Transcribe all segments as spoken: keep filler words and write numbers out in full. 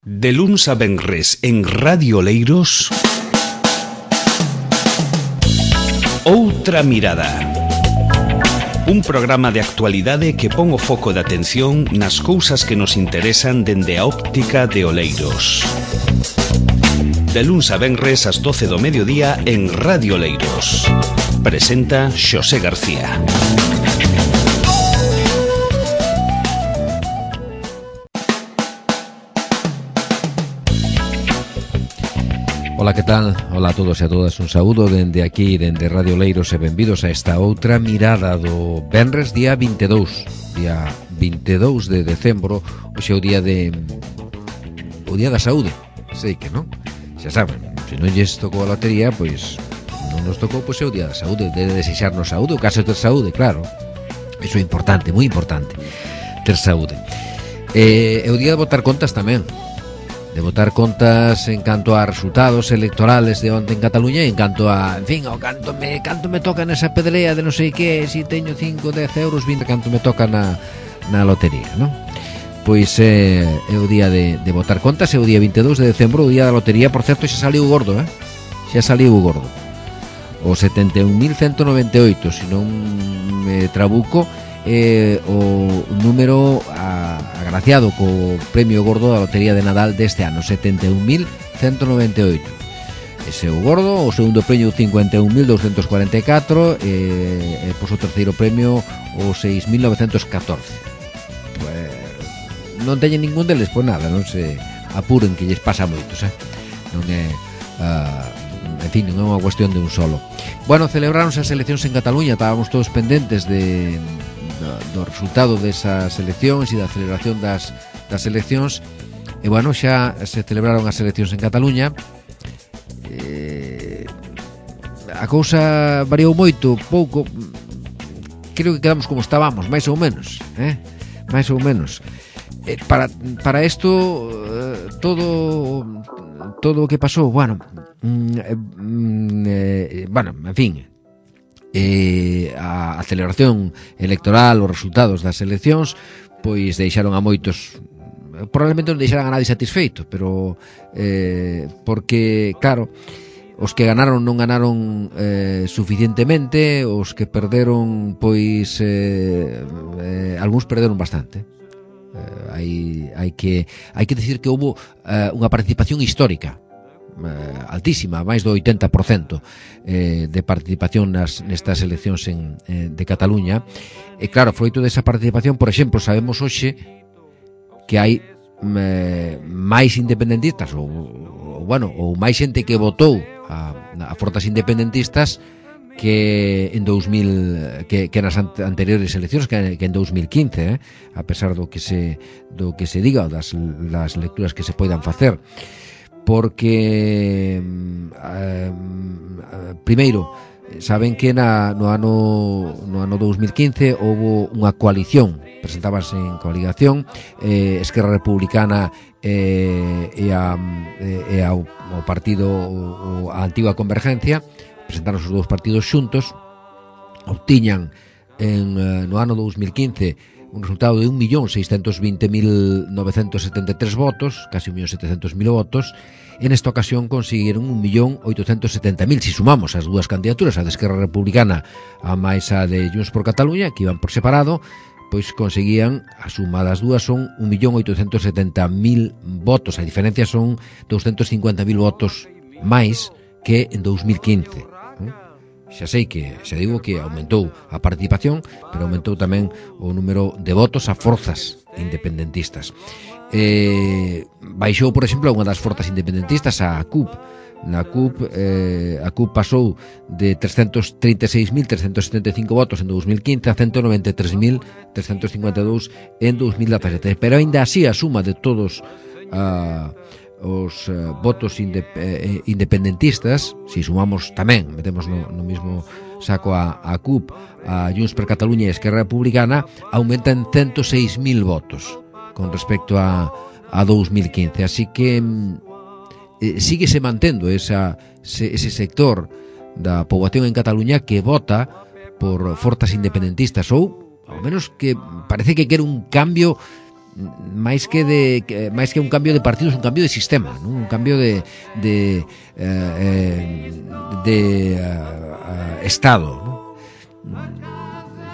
De luns a venres en Radio Oleiros, Outra Mirada. Un programa de actualidade que pon o foco de atención nas cousas que nos interesan dende a óptica de Oleiros. De luns a venres ás doce do mediodía en Radio Oleiros. Presenta Xosé García. Ola, que tal? Ola a todos e a todas, un saúdo dende aquí, dende Radio Oleiros, e benvidos a esta outra mirada do venres día vinte e dous, día vinte e dous de decembro. Hoxe é o día de o día da saúde, sei que non, xa saben, se non lles tocou a lotería, pois non nos tocou, pois é o día da saúde, de desexarnos saúde, o caso de ter saúde, claro, iso é importante, moi importante, ter saúde. E é o día de botar contas tamén, de botar contas en canto a resultados electorales de onte en Cataluña e en canto a, en fin, o canto me canto me toca nesa pedrea de non sei que, si teño cinco, dez euros, vinte, canto me toca na, na lotería, non? Pois é, é o día de, de botar contas, é o día vinte e dous de decembro, o día da lotería. Por certo, xa saliu o gordo, eh? Xa saliu o gordo, o setenta e un mil ciento noventa e oito, se non me trabuco, eh, o número a, agraciado co premio gordo da lotería de Nadal deste ano, setenta e un mil ciento noventa e oito. Ese é o gordo. O segundo premio, cincuenta e un mil doscientos cuarenta e catro, e, e pois o terceiro premio, o seis mil novecentos catorce. Pues, non teñen ningún deles, pois nada, non se apuren, que lles pasa a moitos, eh? Non é uh, en fin, non é unha cuestión de un solo. Bueno, celebraronse as eleccións en Cataluña, estábamos todos pendentes de do resultado desas eleccións e da celebración das, das eleccións, e bueno, xa se celebraron as eleccións en Cataluña. eh, a cousa variou moito, pouco, creo que quedamos como estábamos, máis ou menos, eh? máis ou menos. eh, para, para isto, eh, todo todo o que pasou, bueno, mm, eh, bueno, en fin, Eh, a, a celebración electoral, os resultados das eleccións, pois deixaron a moitos, probablemente non deixaran a nadie satisfeito, pero eh, porque, claro, os que ganaron non ganaron eh, suficientemente, os que perderon, pois eh, eh, algúns perderon bastante. eh, hai, hai que hai que decir que houbo eh, unha participación histórica, Eh, altísima, máis do oitenta por cento eh, de participación nas, nestas eleccións en, eh, de Cataluña. E claro, froito desa participación, por exemplo, sabemos hoxe que hai eh, máis independentistas ou, ou, bueno, ou máis xente que votou a, a forzas independentistas que en dous mil, que, que nas anteriores eleccións, que, que en dous mil quince, eh, a pesar do que se do que se diga, das, das lecturas que se poidan facer. Porque eh, primeiro, saben que na, no ano no ano dous mil quince houve unha coalición, presentábanse en coligación eh, Esquerra Republicana eh, e, a, e a, o partido o, a antiga Convergencia, presentaron os dous partidos xuntos, obtiñan en, no ano dous mil quince un resultado de un millón seiscentos vinte mil novecentos setenta e tres votos, casi un millón setecentos mil votos. En esta ocasión consiguieron un millón oitocentos setenta mil, si sumamos as dúas candidaturas, a de Esquerra Republicana a máis a de Junts por Cataluña, que iban por separado, pois conseguían, a suma das dúas son un millón oitocentos setenta mil votos. A diferencia son doscientos cincuenta mil votos máis que en dous mil quince. Xa sei que, xa digo que aumentou a participación, pero aumentou tamén o número de votos a forzas independentistas. Eh, baixou, por exemplo, unha das forzas independentistas, a C U P. Na C U P, eh, a C U P pasou de trescentos trinta e seis mil trescentos setenta e cinco votos en dous mil quince a ciento noventa e tres mil trescentos cincuenta e dous en dous mil dezasete. Pero aínda así, a suma de todos a... Uh, os uh, votos inde, eh, independentistas, si sumamos tamén, metemos no, no mismo saco a, a C U P, a Junts per Cataluña e Esquerra Republicana, aumenta en ciento seis mil votos con respecto a, a dous mil quince. Así que eh, síguese mantendo esa, ese, ese sector da poboación en Cataluña que vota por forzas independentistas, ou ao menos que parece que quere un cambio máis que de que, máis que un cambio de partidos, un cambio de sistema, non? Un cambio de de eh, de uh, uh, estado, non?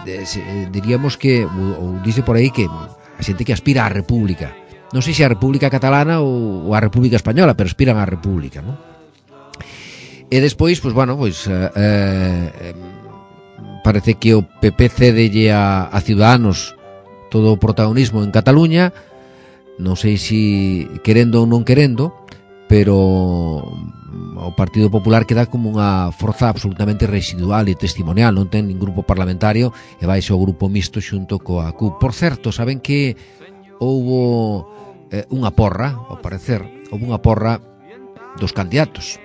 De, se, diríamos que ou, ou dice por aí que a xente que aspira á república, non sei se a república catalana ou, ou a república española, pero aspiran á república, non? E despois, pois bueno, pois eh, eh, parece que o P P cedelle a, a Ciudadanos todo o protagonismo en Cataluña, non sei se querendo ou non querendo, pero o Partido Popular queda como unha forza absolutamente residual e testimonial, non ten nin grupo parlamentario e vai o grupo mixto xunto coa C U P. Por certo, saben que houbo eh, unha porra, ao parecer, houbo unha porra dos candidatos.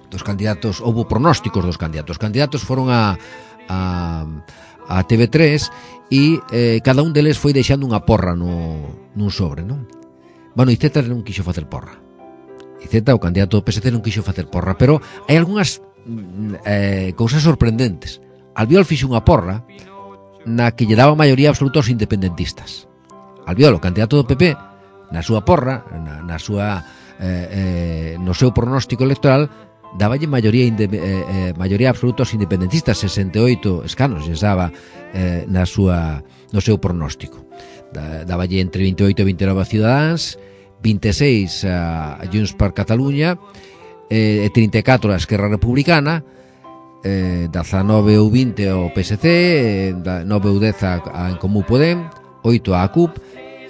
Dos candidatos, houbo pronósticos dos candidatos. Os candidatos foron a a, a T V tres e eh, cada un deles foi deixando unha porra no, nun sobre, non? Bueno, Iceta non quixo facer porra. Iceta, o candidato do P S C, non quixo facer porra, pero hai algunhas eh, cousas sorprendentes. Albiol fixo unha porra na que lle daba maioría absoluta aos independentistas. Albiol, o candidato do P P, na súa porra, na, na súa eh, eh, no seu pronóstico electoral, daballe maioría inde, eh, eh, maioría absoluta aos independentistas, sesenta e oito escanos lle daba eh, na súa no seu pronóstico. Da, daballe entre vinte e oito e vinte e nove a Ciudadanos, vinte e seis a, a Junts per Catalunya, eh, e trinta e catro a Esquerra Republicana, eh, dezanove ou vinte ao P S C, eh, nove ou dez a, a En Comú Podem, oito a C U P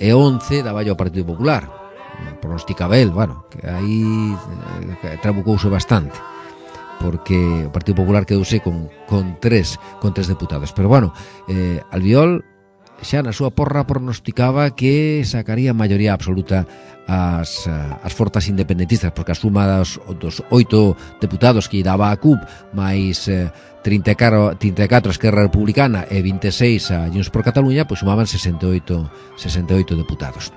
e once daballe ao Partido Popular. Pronosticaba el, bueno, que aí eh, trabucouse bastante, porque o Partido Popular quedouse con, con tres con tres deputados, pero bueno, eh, Albiol xa na súa porra pronosticaba que sacaría maioría absoluta as, as forzas independentistas, porque a suma dos, dos oito deputados que daba a C U P máis eh, trinta e catro a Esquerra Republicana e vinte e seis a Junts per Catalunya, pois sumaban sesenta e oito deputados.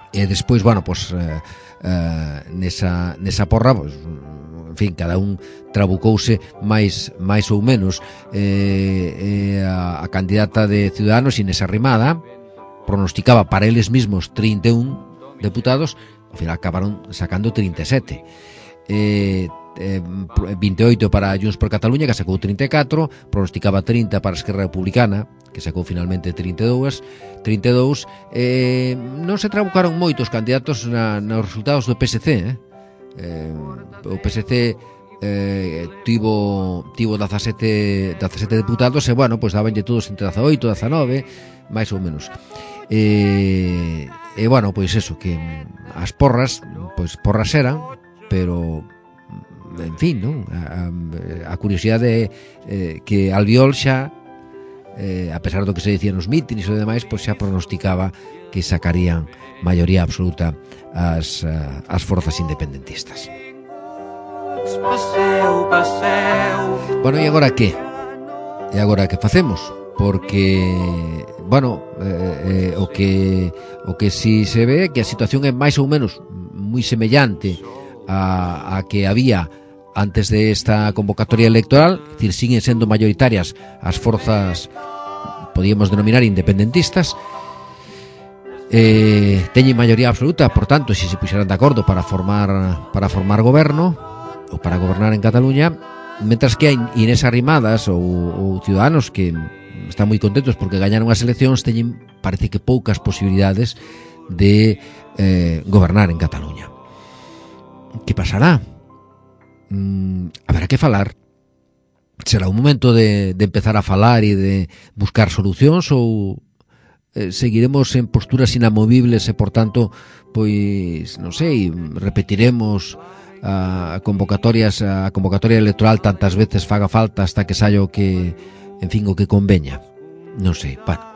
E despois, bueno, pois eh, eh, nesa, nesa porra, pois, en fin, cada un trabucouse máis máis ou menos. Eh, eh, a, a candidata de Ciudadanos, Inés Arrimada, pronosticaba para eles mismos trinta e un deputados, ao final acabaron sacando trinta e sete. Eh, eh, vinte e oito para Junts per Catalunya, que sacou trinta e catro, pronosticaba trinta para a Esquerra Republicana, que sacou finalmente trinta e dous, trinta e dous. Eh, non se trabucaron moitos candidatos na, nos resultados do P S C, eh? Eh, o P S C eh, tivo tivo dezasete deputados e, bueno, pois dabanlle todos entre dezaoito, dezanove, máis ou menos. E, e bueno, pois eso, que as porras, pois porras eran, pero en fin, non? A, a, a curiosidade eh, que Albiol xa, eh, a pesar do que se dicía nos mítines e demais, pois xa pronosticaba que sacarían maioría absoluta as, as forzas independentistas. Bueno, e agora que? E agora que facemos? Porque, bueno, eh, eh, o que o que si se ve que a situación é máis ou menos moi semellante a, a que había antes de esta convocatoria electoral, es decir, siguen sendo mayoritarias as forzas, podíamos denominar independentistas, eh, teñen maioría absoluta, por tanto, se se puxeran de acordo para formar para formar goberno ou para gobernar en Cataluña, mentras que hai Inés Arrimadas ou, ou Ciudadanos que están moi contentos porque gañaron as eleccións, teñen, parece que poucas posibilidades de eh, gobernar en Cataluña. Que pasará? Mm, haberá que falar. Será un momento de, de empezar a falar e de buscar solucións, ou eh, seguiremos en posturas inamovibles e, por tanto, pois, non sei, repetiremos a convocatorias a convocatoria electoral tantas veces faga falta hasta que saia o que, en fin, o que conveña. Non sei, bueno.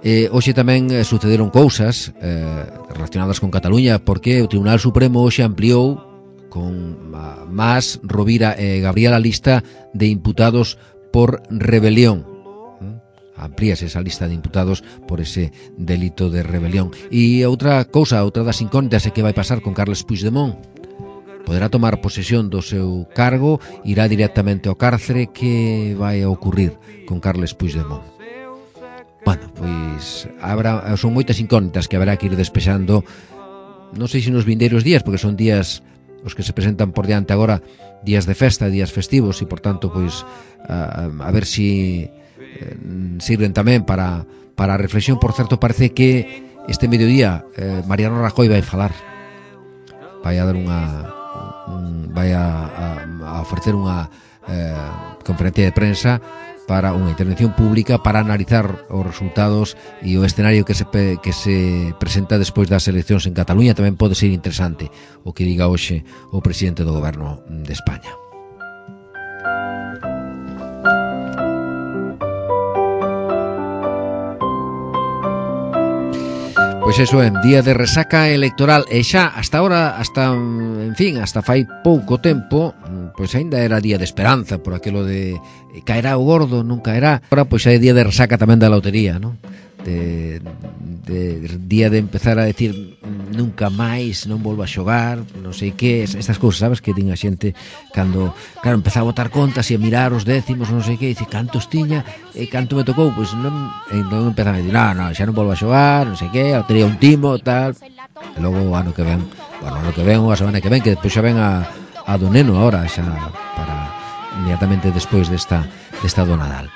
Eh, hoxe tamén eh, sucederon cousas eh, relacionadas con Cataluña, porque o Tribunal Supremo hoxe ampliou con uh, Mas, Rovira e Gabriel a lista de imputados por rebelión. ¿Mm? Amplíase esa lista de imputados por ese delito de rebelión. E outra cousa, outra das incógnitas é que vai pasar con Carles Puigdemont. Poderá tomar posesión do seu cargo, irá directamente ao cárcere. Que vai a ocurrir con Carles Puigdemont? bueno, pois habrá, son moitas incógnitas que haberá que ir despexando, non sei se nos vindeiros días, porque son días os que se presentan por diante agora, días de festa, días festivos, e por tanto, pois a, a ver si eh, sirven tamén para, para a reflexión. Por certo, parece que este mediodía eh, Mariano Rajoy vai falar, vai a dar unha un, vai a, a, a ofrecer unha eh, conferencia de prensa para unha intervención pública para analizar os resultados e o escenario que se, que se presenta despois das eleccións en Cataluña. Tamén pode ser interesante o que diga hoxe o presidente do Goberno de España. Pois eso é, día de resaca electoral, e xa hasta ahora, hasta, en fin, hasta fai pouco tempo, pois aínda era día de esperanza por aquilo de caerá o gordo, non caerá. Ahora pois é día de resaca tamén da lotería, non? De, de, de día de empezar a decir nunca máis, non volvo a xogar, non sei que, estas cousas, sabes, que din a xente cando, claro, empezaba a botar contas e a mirar os décimos, non sei que, e dice, cantos tiña e canto me tocou, pois non, e non empezaba a decir, non, non, xa non volvo a xogar, non sei que, a lotería un timo, tal, e logo o ano que ven, bueno, o ano que ven, ou a semana que ven, que despois xa ven a, a do neno ahora, xa para inmediatamente despois desta, desta do Nadal.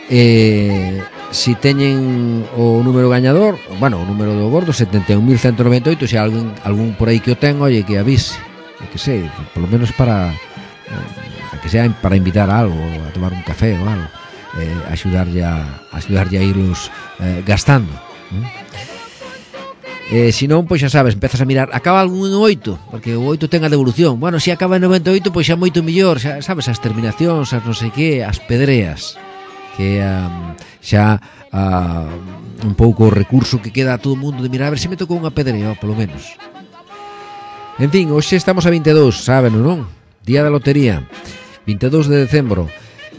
Eh, si teñen o número gañador, bueno, o número do gordo setenta e un mil ciento noventa e oito, se hai algún, algún por aí que o ten, oye, que avise, que sei, polo menos para eh, que sea para invitar a algo, a tomar un café ou algo, eh, axudarlle a axudarlle a irlos eh, gastando, ¿eh? Eh, si non, pois xa sabes, empezas a mirar, acaba algún en oito, porque o oito ten a devolución. Bueno, se acaba en noventa e oito, pois xa moito mellor, xa sabes, as terminacións, as non sei que, as pedreas, que um, xa uh, un pouco o recurso que queda a todo o mundo de mirar a ver se me tocou unha pedrea, polo menos. En fin, hoxe estamos a vinte e dous, saben ou non? Día da lotería, vinte e dous de decembro.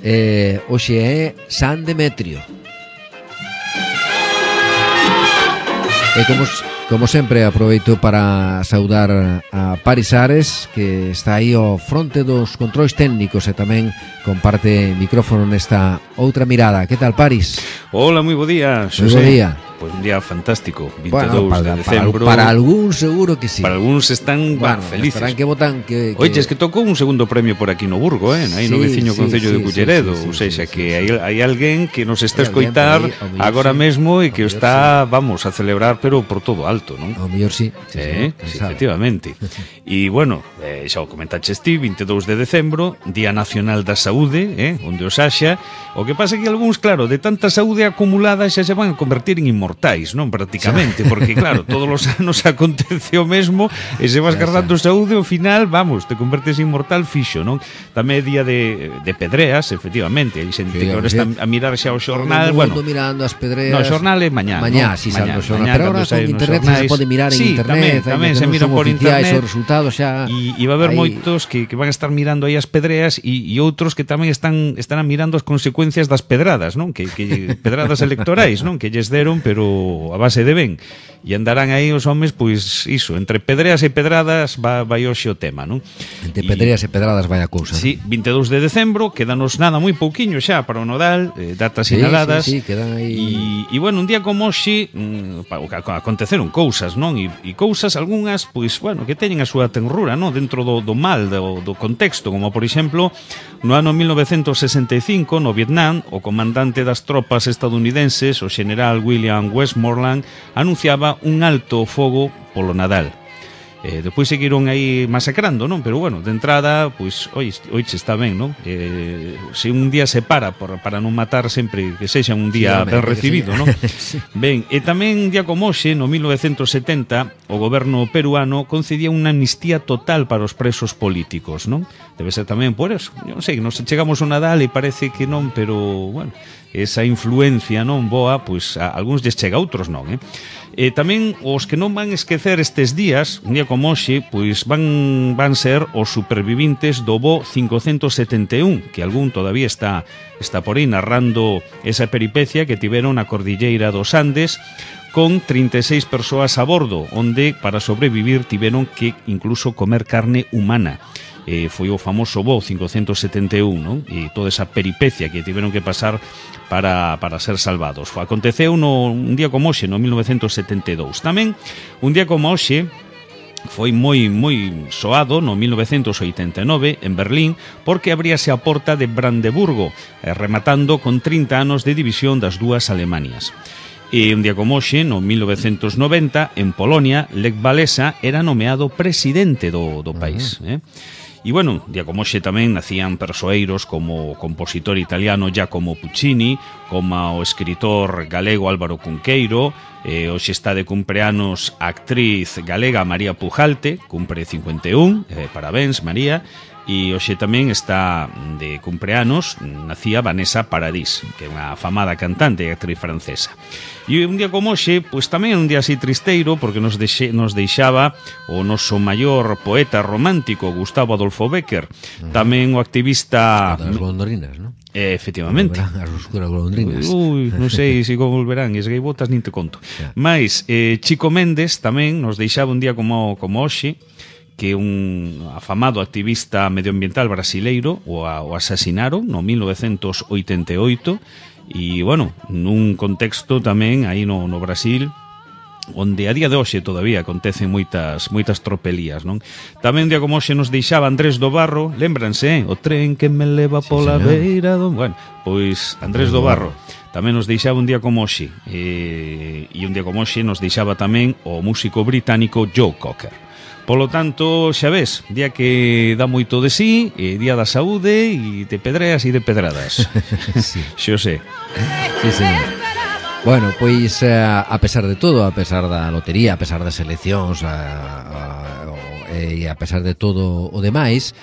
eh, Hoxe é San Demetrio. E como, como sempre, aproveito para saudar a Paris Ares, que está aí ao fronte dos controis técnicos e tamén comparte micrófono nesta outra mirada. Que tal, Paris? Hola, moi bo día, Xosé. Moi bo día. Pois un día fantástico, vinte e bueno, dous para, de decembro. Para, para algún seguro que sí. Para algúns están bueno, bah, felices. Estarán que votan que, que... Oye, es que tocou un segundo premio por aquí no Burgo, eh? Aí sí, no veciño sí, concello sí, de Culleredo, sí, sí, sí, ou seja, sí, sí, que sí, hai, hai alguén que nos está a escoitar aí, agora sí, mesmo e que o está, sí, vamos, a celebrar, pero por todo alto, non? Ao mellor sí. Sí, eh, sí, sí, efectivamente. E, bueno, eh, xa o comentaches ti, vinte e dous de decembro, Día Nacional da Saúde, eh? Onde os haxa. O que pasa é que algúns, claro, de tanta saúde acumulada xa se van a convertir en inmortais, non? Prácticamente, porque claro, todos os anos acontece o mesmo e se vas guardando saúde, ao final, vamos, te convertes en inmortal fixo, non? Tamén é día de, de pedreas, efectivamente, hai xente sí, que agora está a mirar xa o xornal, bueno, mirando as pedreas. No, o xornal é mañá, mañá, no? si salvo o xornal, mañá, pero agora con internet se pode mirar en sí, internet, tamén, tamén se miran por internet, os resultados xa. E, e va a haber aí moitos que, que van a estar mirando aí as pedreas e, e outros que tamén están estarán mirando as consecuencias das pedradas, non? Que, que pedradas electorais, non? Que lles deron, pero a base de ben. E andarán aí os homes, pois, iso, entre pedreas e pedradas va, vai hoxe o tema, non? Entre pedreas e, e pedradas vai a cousa. Sí, vinte e dous de decembro, quedanos nada moi pouquiño xa para o Nodal, eh, datas sí, sinaladas. Sí, sí, quedan aí. E, e bueno, un día como hoxe, mm, aconteceron cousas, non? E, e cousas, algunhas, pois, bueno, que teñen a súa tenrura, non? Dentro do, do mal, do, do contexto, como, por exemplo, no ano mil novecentos sesenta e cinco, no Vietnam, o comandante das tropas estadounidenses, o general William Westmoreland, anunciaba un alto fogo polo Nadal. Eh, despois seguiron aí masacrando, non? Pero bueno, de entrada, pois, oi, oiche, está ben, non? Eh, se un día se para por, para non matar sempre que sexa un día sí, ben recibido, sí, non? Sí. Ben, e tamén un día como hoxe, no mil novecentos setenta, o goberno peruano concedía unha amnistía total para os presos políticos, non? Debe ser tamén por eso. Eu non sei, nos chegamos ao Nadal e parece que non, pero, bueno, esa influencia non boa, pois a algúns lles chega, a outros non, eh? E tamén os que non van esquecer estes días, un día como hoxe, pois van van ser os supervivintes do voo cincocentos setenta e un, que algún todavía está está por aí narrando esa peripecia que tiveron na cordilleira dos Andes con trinta e seis persoas a bordo, onde para sobrevivir tiveron que incluso comer carne humana. eh, foi o famoso voo cincocentos setenta e un, non? E toda esa peripecia que tiveron que pasar para, para ser salvados. Aconteceu no, un día como hoxe, no mil novecentos setenta e dous. Tamén, un día como hoxe, foi moi moi soado no mil novecentos oitenta e nove en Berlín porque abríase a porta de Brandeburgo, eh, rematando con trinta anos de división das dúas Alemanias. E un día como hoxe, no mil novecentos noventa, en Polonia, Lech Walesa era nomeado presidente do, do país. Uh-huh. eh? E, bueno, un día como hoxe tamén nacían persoeiros como o compositor italiano Giacomo Puccini, como o escritor galego Álvaro Cunqueiro, eh, hoxe está de cumpleanos a actriz galega María Pujalte, cumpre cincuenta e un, eh, parabéns María, e hoxe tamén está de cumpleanos, nacía Vanessa Paradis, que é unha afamada cantante e actriz francesa. E un día como hoxe, pois tamén un día así tristeiro, porque nos, deixe, nos deixaba o noso maior poeta romántico, Gustavo Adolfo Bécquer, uh-huh. tamén o activista... Das golondrinas, non? Eh, efectivamente. Volverán as oscuras golondrinas. Ui, non sei se volverán, es gaivotas nin te conto. Yeah. Mais, eh, Chico Méndez tamén nos deixaba un día como, como hoxe, que un afamado activista medioambiental brasileiro o, a, o asasinaron no mil novecentos oitenta e oito e, bueno, nun contexto tamén aí no, no Brasil onde a día de hoxe todavía acontecen moitas moitas tropelías, non? Tamén un día como hoxe nos deixaba Andrés do Barro, lémbranse, eh? O tren que me leva pola sí, beira do... Bueno, pois Andrés do Barro tamén nos deixaba un día como hoxe e, e un día como hoxe nos deixaba tamén o músico británico Joe Cocker. Polo tanto, xa ves, día que dá moito de sí, e día da saúde e de pedreas e de pedradas. Sí. Xo sé. Sí, señor. Bueno, pois a, a pesar de todo, a pesar da lotería, a pesar das eleccións, a, a, a, e a pesar de todo o demais,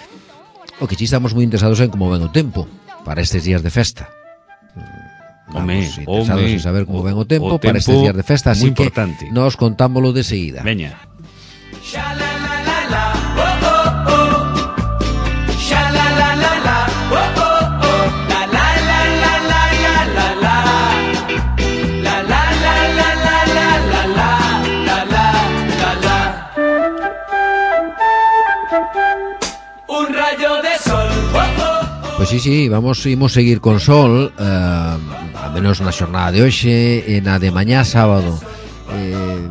o que si estamos moi interesados en como ven o tempo para estes días de festa. Home, Vamos interesados home, en saber como o, ven o tempo, o para tempo estes días de festa, así que importante. Nos contámoslo de seguida. Veña. Pois sí, sí, vamos imos seguir con sol, eh, a menos na xornada de hoxe e na de mañá sábado. Eh,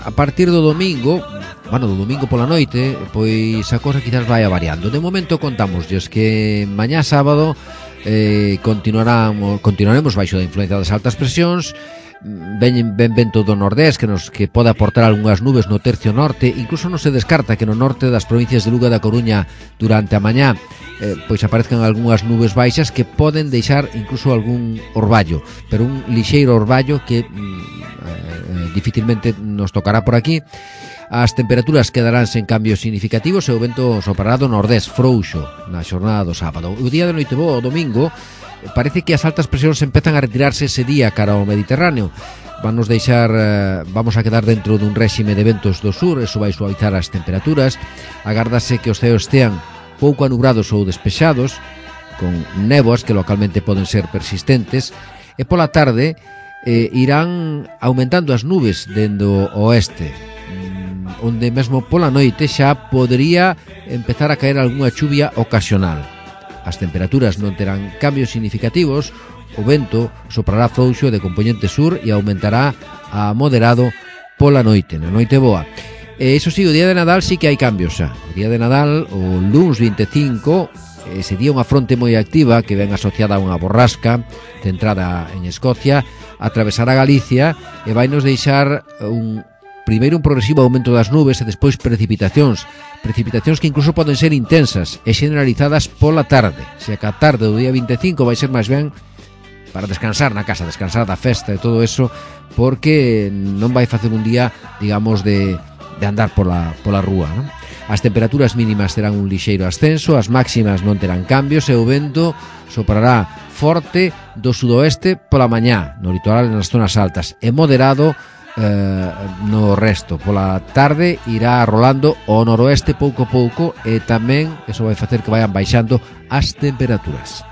a partir do domingo, bueno, do domingo pola noite, pois a cosa quizás vai variando. De momento contámosles que mañá sábado eh, continuaramos, continuaremos baixo da influencia das altas presións. Ven, ven vento do nordés que nos que pode aportar algunhas nubes no tercio norte. Incluso non se descarta que no norte das provincias de Lugo e da Coruña durante a mañá eh, pois aparezcan algunhas nubes baixas que poden deixar incluso algún orballo, pero un lixeiro orballo que eh, dificilmente nos tocará por aquí. As temperaturas quedarán sen cambios significativos e o vento soprará do nordés frouxo na xornada do sábado. O día de noite bo, o domingo, parece que as altas presións empezan a retirarse ese día cara ao Mediterráneo. Vanos deixar, eh, vamos a quedar dentro dun réxime de ventos do sur, eso vai suavizar as temperaturas. Agárdase que os ceos estean pouco anubrados ou despexados, con néboas que localmente poden ser persistentes, e pola tarde eh, irán aumentando as nubes dende o oeste, onde mesmo pola noite xa podría empezar a caer algunha chuvia ocasional. As temperaturas non terán cambios significativos, o vento soprará frouxo de componente sur e aumentará a moderado pola noite, na noite boa. E iso sí, o día de Nadal sí que hai cambios xa. O día de Nadal, o luns vinte e cinco, ese día unha fronte moi activa que ven asociada a unha borrasca centrada en Escocia, atravesará Galicia e vai nos deixar un primeiro un progresivo aumento das nubes e despois precipitacións, precipitacións que incluso poden ser intensas e generalizadas pola tarde. Se a tarde do día vinte e cinco vai ser máis ben para descansar na casa, descansar da festa e todo eso, porque non vai facer un día, digamos, de, de andar pola, pola rúa, non? As temperaturas mínimas terán un lixeiro ascenso, as máximas non terán cambios e o vento soprará forte do sudoeste pola mañá, no litoral e nas zonas altas, e moderado Eh, no resto. Pola tarde irá rolando o noroeste pouco a pouco e tamén eso vai facer que vayan baixando as temperaturas.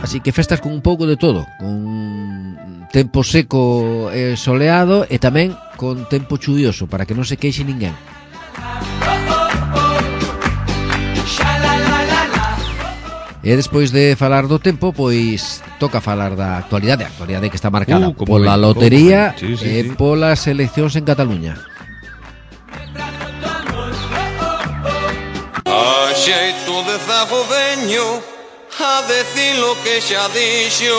Así que festas con un pouco de todo, con tempo seco e soleado e tamén con tempo chuvioso para que non se queixe ninguén. E despois de falar do tempo, pois toca falar da actualidade, a actualidade que está marcada uh, pola ben, lotería sí, sí, e sí. polas eleccións en Cataluña. A xeito de zago veño a decir lo que xa dixo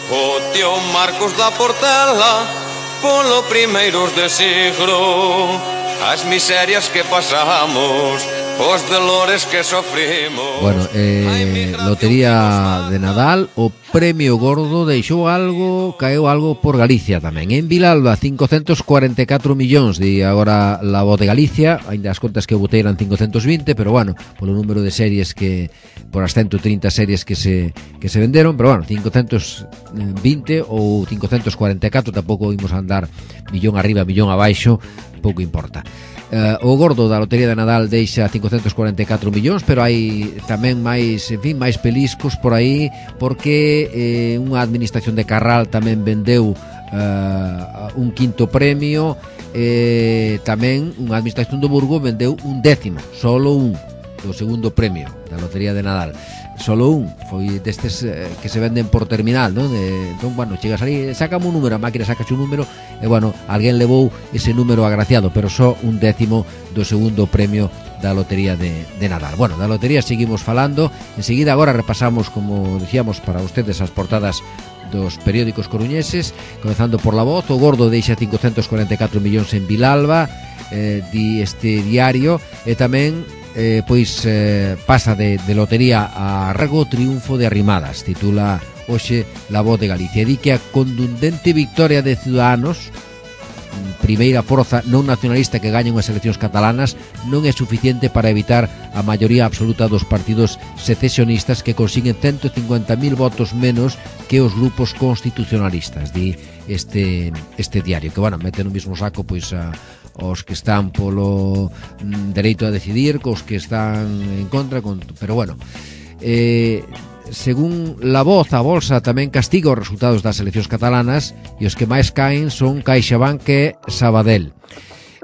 o tío Marcos da Portela polo primeiros de siglo, as miserias que pasamos, os dolores que sofrimos. Bueno, eh, lotería de Nadal, o premio gordo deixou algo, caeu algo por Galicia tamén. En Vilalba, cincocentos cuarenta e catro millóns, di agora la voz de Galicia, ainda as contas que eu botei eran cincocentos vinte, pero bueno, polo número de series que, por as ciento trinta series que se que se venderon, pero bueno, cincocentos vinte ou cincocentos cuarenta e catro, tampouco imos andar millón arriba, millón abaixo, pouco importa. Uh, o gordo da lotería de Nadal deixa cincocentos cuarenta e catro millóns, pero hai tamén máis, en fin, máis peliscos por aí, porque eh, unha administración de Carral tamén vendeu uh, un quinto premio, eh, tamén unha administración do Burgo vendeu un décimo, solo un, do segundo premio da lotería de Nadal. Solo un, foi destes eh, que se venden por terminal, non? De, entón, bueno, chegas ali, sácame un número, a máquina saca un número, e bueno, alguén levou ese número agraciado, pero só un décimo do segundo premio da lotería de, de Nadal. Bueno, da lotería seguimos falando, enseguida agora repasamos, como dicíamos, para ustedes as portadas dos periódicos coruñeses, comezando por La Voz. O gordo deixa cincocentos cuarenta e catro millóns en Vilalba, eh, di este diario, e tamén Eh, pois eh, pasa de, de lotería a Rego triunfo de Arrimadas, titula hoxe La Voz de Galicia. Di que a contundente victoria de Ciudadanos, primeira forza non nacionalista que gaña unhas eleccións catalanas, non é suficiente para evitar a maioría absoluta dos partidos secesionistas, que consiguen ciento cincuenta mil votos menos que os grupos constitucionalistas, di este, este diario, que bueno, mete no mismo saco pois a os que están polo mm, dereito a decidir, cos que están en contra, con, pero bueno, eh, según La Voz, a Bolsa tamén castiga os resultados das eleccións catalanas, e os que máis caen son CaixaBank e Sabadell.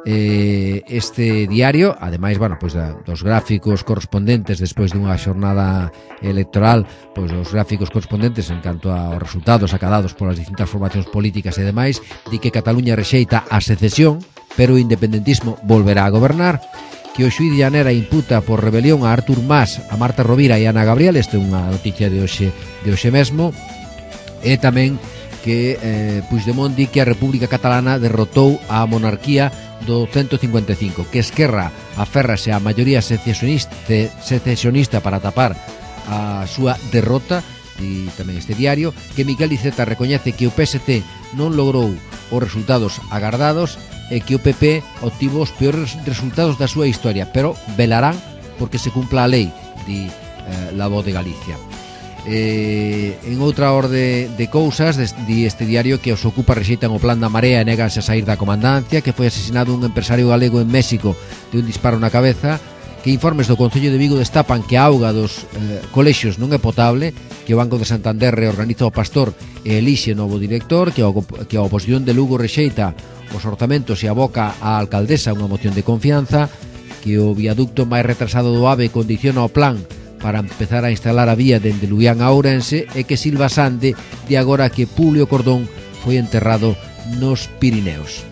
Eh, este diario, ademais, bueno, pois da, dos gráficos correspondentes despois dunha xornada electoral, pois os gráficos correspondentes en canto aos resultados acadados polas distintas formacións políticas e demais, di que Cataluña rexeita a secesión, pero o independentismo volverá a gobernar, que o xuíz Llanera imputa por rebelión a Artur Mas, a Marta Rovira e a Ana Gabriel, este é unha noticia de hoxe, de hoxe mesmo, e tamén que eh, Puigdemont di que a República Catalana derrotou a monarquía do ciento cincuenta e cinco, que Esquerra aférrase á maioría secesionista, secesionista para tapar a súa derrota, e tamén este diario, que Miquel Iceta recoñece que o P S C non logrou os resultados agardados e que o P P obtivo os peores resultados da súa historia, pero velarán porque se cumpla a lei, di eh, La Voz de Galicia. Eh, en outra orde de cousas, di este diario que os ocupa rexeitan o plan da Marea e neganse a sair da comandancia, que foi asesinado un empresario galego en México de un disparo na cabeza, que informes do Concello de Vigo destapan que a auga dos eh, colexios non é potable, que o Banco de Santander reorganiza o Pastor e elixe novo director, que a, que a oposición de Lugo rexeita os orzamentos e aboca á alcaldesa unha moción de confianza, que o viaducto máis retrasado do AVE condiciona o plan para empezar a instalar a vía dende Luián a Ourense, e que Silva Sande di agora que Publio Cordón foi enterrado nos Pirineos.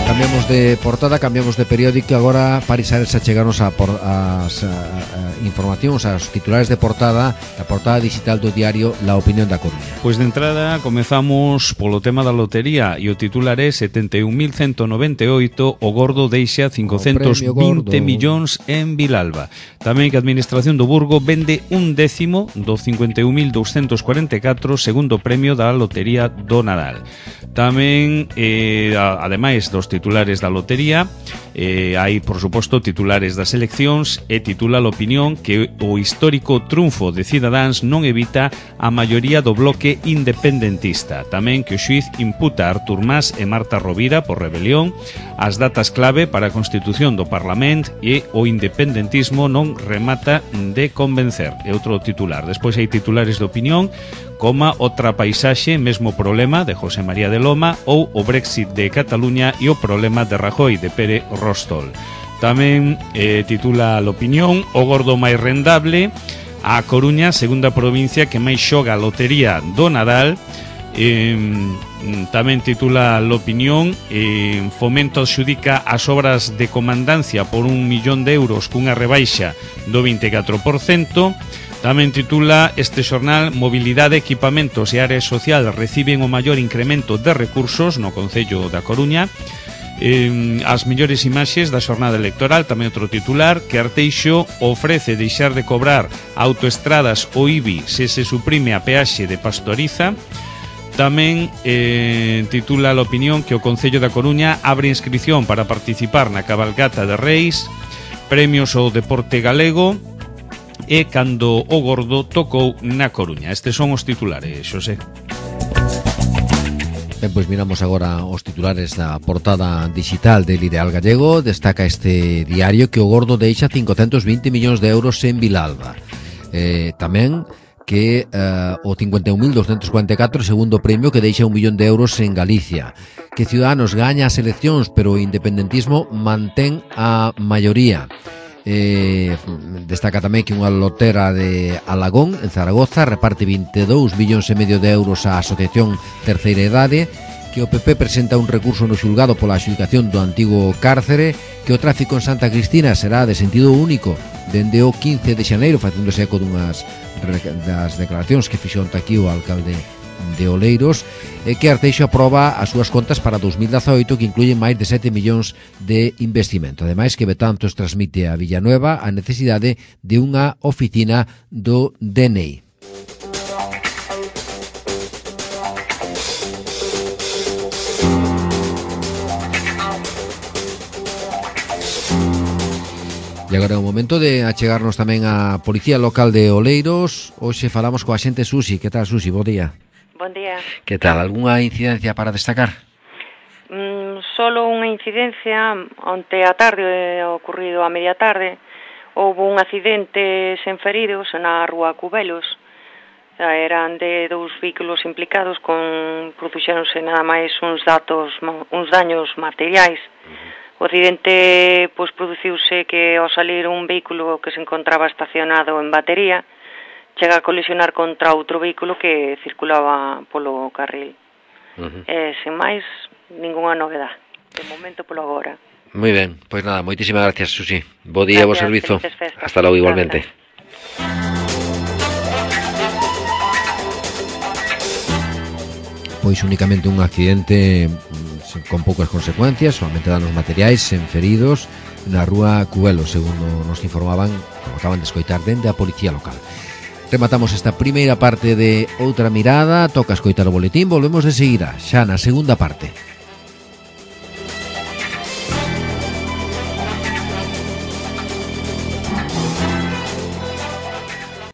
Cambiamos de portada, cambiamos de periódico. Agora Paris Ares a chegarnos a, por, a, a, a informacións, aos titulares de portada, a portada digital do diario La Opinión da Coruña. Pois de entrada comezamos polo tema da lotería, e o titular é setenta e un mil ciento noventa e oito, o gordo deixa cincocentos vinte millóns en Vilalba. Tamén que a administración do Burgo vende un décimo do cincuenta e un mil douscentos cuarenta e catro, segundo premio da lotería do Nadal. Tamén, eh, ademais dos titulares da lotería, eh, hai, por suposto, titulares das eleccións, e titula a opinión opinión que o histórico triunfo de Cidadáns non evita a maioría do bloque independentista. Tamén que o xuíz imputa a Artur Mas e Marta Rovira por rebelión, as datas clave para a constitución do Parlamento e o independentismo non remata de convencer. É outro titular. Despois hai titulares de opinión como outra paisaxe, mesmo problema de José María de Loma ou o Brexit de Cataluña e o problema de Rajoy de Pere Rostol. Tamén eh, titula a opinión o gordo máis rendable, a Coruña, segunda provincia que máis xoga a lotería do Nadal. Eh, tamén titula a opinión eh, Fomento adxudica as obras de comandancia por un millón de euros cunha rebaixa do vinte e catro por cento. Tamén titula este xornal Mobilidade, equipamentos e área social reciben o maior incremento de recursos no Concello da Coruña. Eh, as mellores imaxes da xornada electoral. Tamén outro titular, que Arteixo ofrece deixar de cobrar autoestradas o I B I se se suprime a peaxe de Pastoriza. Tamén eh, titula a opinión que o Concello da Coruña abre inscripción para participar na cabalgata de Reis, premios ao deporte galego e cando o gordo tocou na Coruña. Estes son os titulares, Xosé. Ben, pois miramos agora os titulares da portada digital del Ideal Gallego. Destaca este diario que o gordo deixa cincocentos vinte millóns de euros en Vilalba. Eh, tamén que eh, o cincuenta e un mil doscientos cuarenta e catro segundo premio que deixa un millón de euros en Galicia. Que Ciudadanos gaña as eleccións, pero o independentismo mantén a maioría. Eh, destaca tamén que unha lotera de Alagón, en Zaragoza, reparte vinte e dous millóns e medio de euros á Asociación Terceira Idade, que o P P presenta un recurso no xulgado pola adxudicación do antigo cárcere, que o tráfico en Santa Cristina será de sentido único dende o quince de xaneiro, facéndose eco dunhas das declaracións que fixo onte aquí o alcalde de Oleiros, e que Arteixo aproba as súas contas para dos mil dezaoito, que incluyen máis de sete millóns de investimento. Ademais, que Betanzos transmite a Villanueva a necesidade de unha oficina do D N I. E agora é o momento de achegarnos tamén á Policía Local de Oleiros. Hoxe falamos coa xente Susi. Que tal, Susi? Bo día. Bon día. Que tal? Algúnha incidencia para destacar? Mm, solo unha incidencia. Onte a tarde, ocurrido a media tarde, houve un accidente sen feridos na rúa Cubelos. Eran de dous vehículos implicados, con produxéronse nada máis uns datos, uns daños materiais. O accidente pois produciuse que ao salir un vehículo que se encontraba estacionado en batería chega a colisionar contra outro vehículo que circulaba polo carril. Uh-huh. E, sen máis, ningunha novedad. De momento, polo agora. Moi ben, pois nada, moitísimas gracias, Susi. Bo día, bo servizo. Hasta logo, igualmente. Pois únicamente un accidente con poucas consecuencias, solamente danos materiais, sen feridos, na rúa Cubelo, segundo nos informaban, como acaban de escoitar, dende a Policía Local. Rematamos esta primeira parte de Outra Mirada. Toca escoitar o boletín. Volvemos de seguida, xa na segunda parte.